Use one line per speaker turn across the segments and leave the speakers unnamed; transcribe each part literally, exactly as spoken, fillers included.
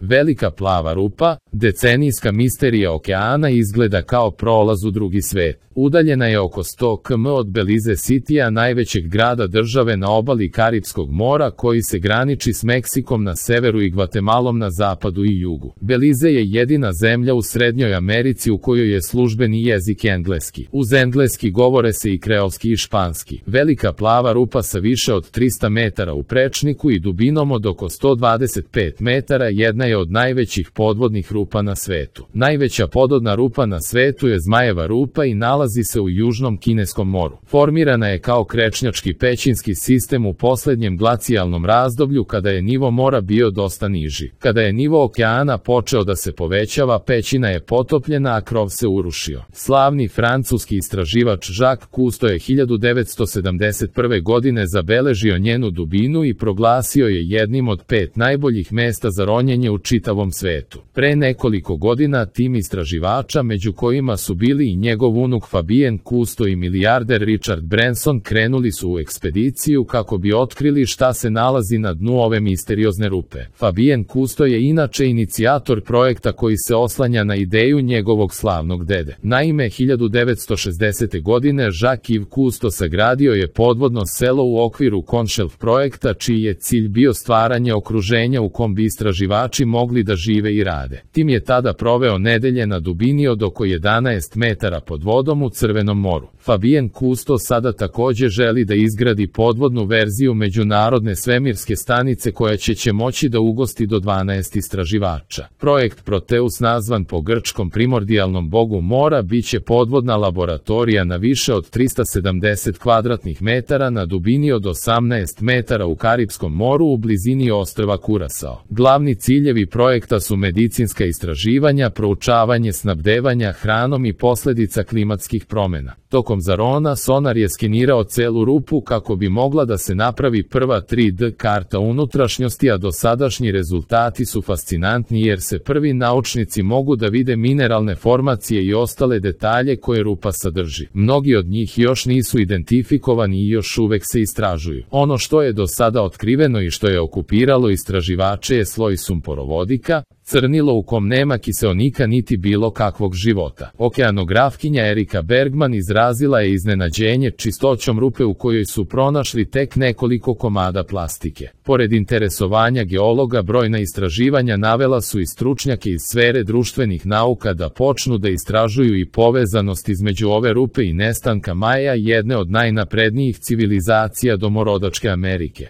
Velika plava rupa, decenijska misterija okeana, izgleda kao prolaz u drugi svet. Udaljena je oko sto kilometara od Belize Citya, najvećeg grada države na obali Karipskog mora koji se graniči s Meksikom na severu i Gvatemalom na zapadu i jugu. Belize je jedina zemlja u Srednjoj Americi u kojoj je službeni jezik engleski. Uz engleski govore se i kreolski i španski. Velika plava rupa sa više od trista metara u prečniku i dubinom od oko sto dvadeset pet metara jedna je od najvećih podvodnih rupa na svetu. Najveća podvodna rupa na svetu je Zmajeva rupa i nalazi se u južnom Kineskom moru. Formirana je kao krečnjački pećinski sistem u poslednjem glacijalnom razdoblju kada je nivo mora bio dosta niži. Kada je nivo okeana počeo da se povećava, pećina je potopljena, a krov se urušio. Slavni francuski istraživač Jacques Cousteau je hiljadu devetsto sedamdeset prve godine zabeležio njenu dubinu i proglasio je jednim od pet najboljih mesta za ronjenje u čitavom svetu. Pre nekoliko godina tim istraživača, među kojima su bili i njegov unuk Fabien Cousteau i milijarder Richard Branson, krenuli su u ekspediciju kako bi otkrili šta se nalazi na dnu ove misteriozne rupe. Fabien Cousteau je inače inicijator projekta koji se oslanja na ideju njegovog slavnog dede. Naime, hiljadu devetsto šezdesete godine Jacques Cousteau sagradio je podvodno selo u okviru Conshelf projekta, čiji je cilj bio stvaranje okruženja u kom bi istraživači mogli da žive i rade. Tim je tada proveo nedelje na dubini od oko jedanaest metara pod vodom u Crvenom moru. Fabien Cousteau sada takođe želi da izgradi podvodnu verziju međunarodne svemirske stanice koja će će moći da ugosti do dvanaest istraživača. Projekt Proteus, nazvan po grčkom primordijalnom bogu mora, biće podvodna laboratorija na više od trista sedamdeset kvadratnih metara na dubini od osamnaest metara u Karipskom moru u blizini ostrva Kurasao. Glavni ciljevi projekta su medicinska istraživanja, proučavanje snabdevanja hranom i posledica klimatskih promena. Tokom zarona sonar je skenirao celu rupu kako bi mogla da se napravi prva tri D karta unutrašnjosti, a dosadašnji rezultati su fascinantni jer se prvi naučnici mogu da vide mineralne formacije i ostale detalje koje rupa sadrži. Mnogi od njih još nisu identifikovani i još uvek se istražuju. Ono što je do sada otkriveno i što je okupiralo istraživače je sloj sumporovodika, crnilo u kom nema kiseonika niti bilo kakvog života. Okeanografkinja Erika Bergman izrazila je iznenađenje čistoćom rupe u kojoj su pronašli tek nekoliko komada plastike. Pored interesovanja geologa, brojna istraživanja navela su i stručnjake iz sfere društvenih nauka da počnu da istražuju i povezanost između ove rupe i nestanka Maja, jedne od najnaprednijih civilizacija domorodačke Amerike.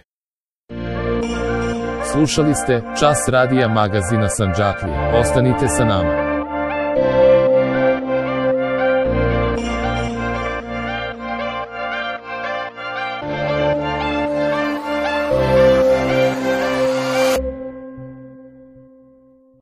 Slušali ste Čas radija magazina Sandžaklija. Ostanite sa nama.